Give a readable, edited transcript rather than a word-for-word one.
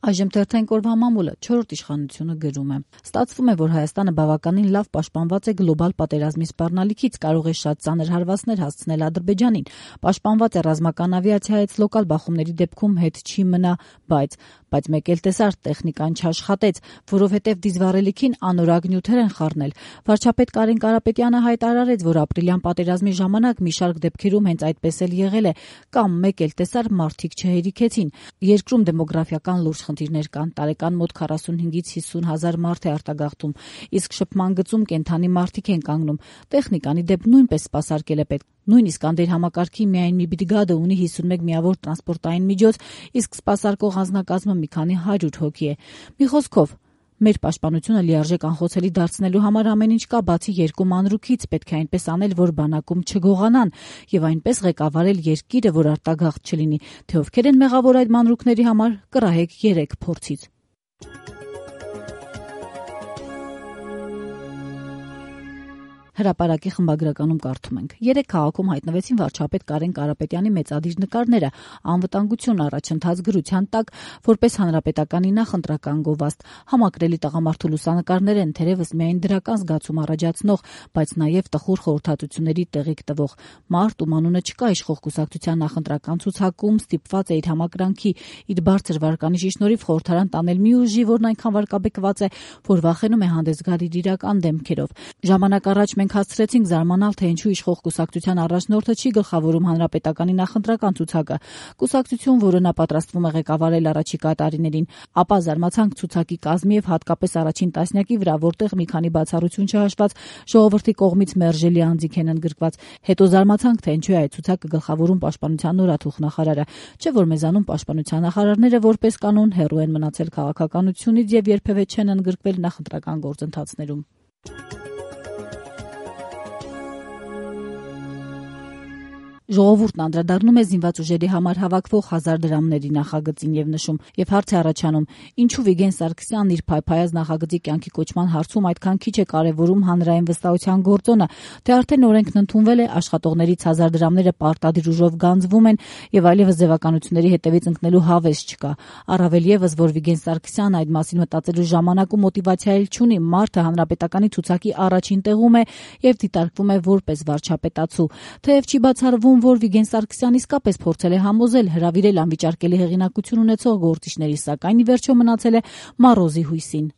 Այժմ թերթային օրվա մամուլը 4-րդ իշխանությունը գրում է. Ստացվում է, որ Հայաստանը բավականին լավ պաշտպանված է գլոբալ պատերազմի սպառնալիքից, կարող է շատ ծանր հարվածներ հասցնել Ադրբեջանին, պաշտպանված է ռազմական ավիացիայից, լոկալ բախումների դեպքում հետ չի մնա, բայց մեկ էլ տեսար, տեխնիկան չաշխատեց, որովհետև դիզվառելիքին անորակ նյութեր են խառնել։ Վարչապետ Կարեն Կարապետյանը հայտարարեց, որ ապրիլյան պատերազմի ժամանակ մի շարք դեպքերում հենց այդպես էլ եղել է, կամ մեկ էլ տեսար մարդիկ չհերիքեցին։ Երկրում դեմոգրաֆիական լուրջ խնդիրներ կան, տարեկան մոտ 45-ից 50 հազար մարդ է արտագաղթում, իսկ շփման գծում կենդանի մարդիկ են կանգնում։ Տեխնիկանի դեպ նույնպես սպասարկել է պետք։ Նույնիսկ անդեր համակարգի միայն մի բրիգադը ունի 51 միավոր տրանսպորտային միջոց, իսկ սպասարկող անձնակազմը մի քանի 100 հոգի է։ Մի խոսքով, մեր պաշտպանությունը լիարժեք անխոցելի դարձնելու համար ամեն ինչ կա, բացի երկու մանրուքից, պետք է այնպես անել, որ բանակում չգողանան, եւ այնպես ղեկավարել երկիրը, որ արտագաղթ չլինի, թե ովքեր են մեղավոր այդ մանրուքների համար, կռահեք 3 փորձից։ Հրապարակի խմբագրականում կարդում ենք. 3 քաղաքում հայտնվեցին վարչապետ Կարեն Կարապետյանի մեծադիր նկարները, անվտանգություն առաջընթաց գրության տակ, որպես հանրապետականի նախընտրական գովազդ։ Համակրելի տղամարդու լուսանկարներ են, թերևս միայն դրական զգացում առաջացնող, բայց նաև տխուր խորհրդատությունների տեղիք տվող։ Մարդ, ում անունը չկա իշխող կուսակցության նախընտրական ցուցակում, ստիպված է իր համակրանքի, իր բարձր վարկանիշի շնորհիվ խորհրդարան տանել մի ուժի, որն այնքան վարկաբեկված է, որ վախենում է հանդես գալ իր իրական դեմքերով։ Ժամանակ առաջ մենք հասցրեցինք զարմանալ, թե ինչու իշխող կուսակցության առաջնորդը չի գլխավորում հանրապետականի նախընտրական ցուցակը, կուսակցություն, որը նա պատրաստվում է ղեկավարել առաջիկա տարիներին, ապա զարմացանք ցուցակի կազմի եւ հատկապես առաջին տասնյակի վրա, որտեղ մի քանի բացառություն չհաշված ժողովրդի կողմից մերժելի անձինք են ընդգրկված։ Հետո զարմացանք, թե ինչու է այդ ցուցակը գլխավորում պաշտպանության նորաթուխ նախարարը, չէ՞ որ մեզանում պաշտպանության նախարարները որպես կանոն հեռու են մնացել քաղաքականությունից եւ երբեւէ չեն ընդգրկվել նախընտրական գործընթացներում։ Ժողովուրդն անդրադառնում է զինված ուժերի համար հավաքվող 1000 դրամների նախագծին եւ նշում, եւ հարց է առաջանում, ինչու Վիգեն Սարգսյանն իր փայփայած նախագծի կյանքի կոչման հարցում այդքան քիչ է կարեւորում հանրային վստահության գործոնը, թե արդեն օրենքն ընդունվել է, աշխատողներից 1000 դրամները պարտադիր ուժով գանձվում են եւ այլեւս ձևականությունների հետեւից ընկնելու հավես չկա։ Առավել եւս, որ Վիգեն Սարգսյանն այդ մասին մտածելու ժամանակ ու մոտիվացիա էլ չունի, մարդը հանրապետականի ցուցակի առաջին տեղում է եւ դիտարկվում է որպես վարչապետացու, թեև չի բացառվում, որ Վիգեն Սարգսյանն իսկապես փորձել է համոզել, հրավիրել անվիճարկելի հեղինակություն ունեցող գործիչների, սակայն ի վերջո մնացել է մառոզի հույսին։